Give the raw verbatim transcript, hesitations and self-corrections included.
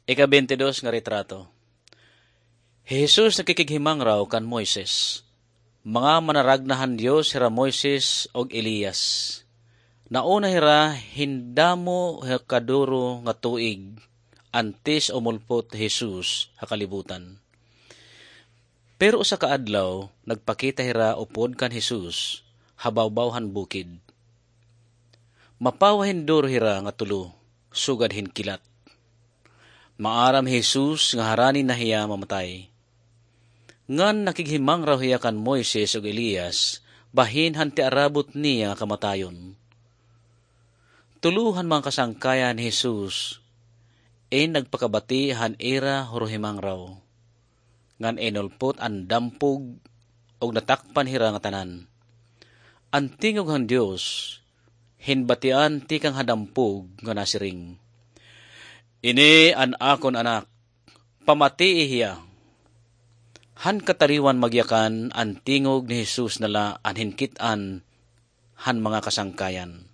Ika-bente dos nga retrato. Hi Jesus nakikighimangraw kan Moises. Mga manaragna han Dios hira Moises ug Elias. Nauna hira hin damo ha kaduro nga tuig antes umulpot hi Jesus ha kalibutan. Pero usa ka adlaw, nagpakita hira upod kan Jesus ha bawbaw han bukid. Mapawa hin duro hira nga tulo, sugad hin kilat. Maaram hi Jesus nga harani na hiya mamatay. Ngan nakighimangraw hiya kan Moises ug Elias, bahin han tiarabot niya nga kamatayon. Tulo han mga kasangkayan ni Jesus in nagpakabati han ira huruhimangraw. Ngan inulpot an dampog, ug natakpan hira ngatanan. An tingog han Dios hinbatian tikang ha dampog nga nasiring, "Ini an akon Anak, pamatii hiya." Han kataliwan magyakan, an tingog ni Jesus na la an hinkit-an han mga kasangkayan.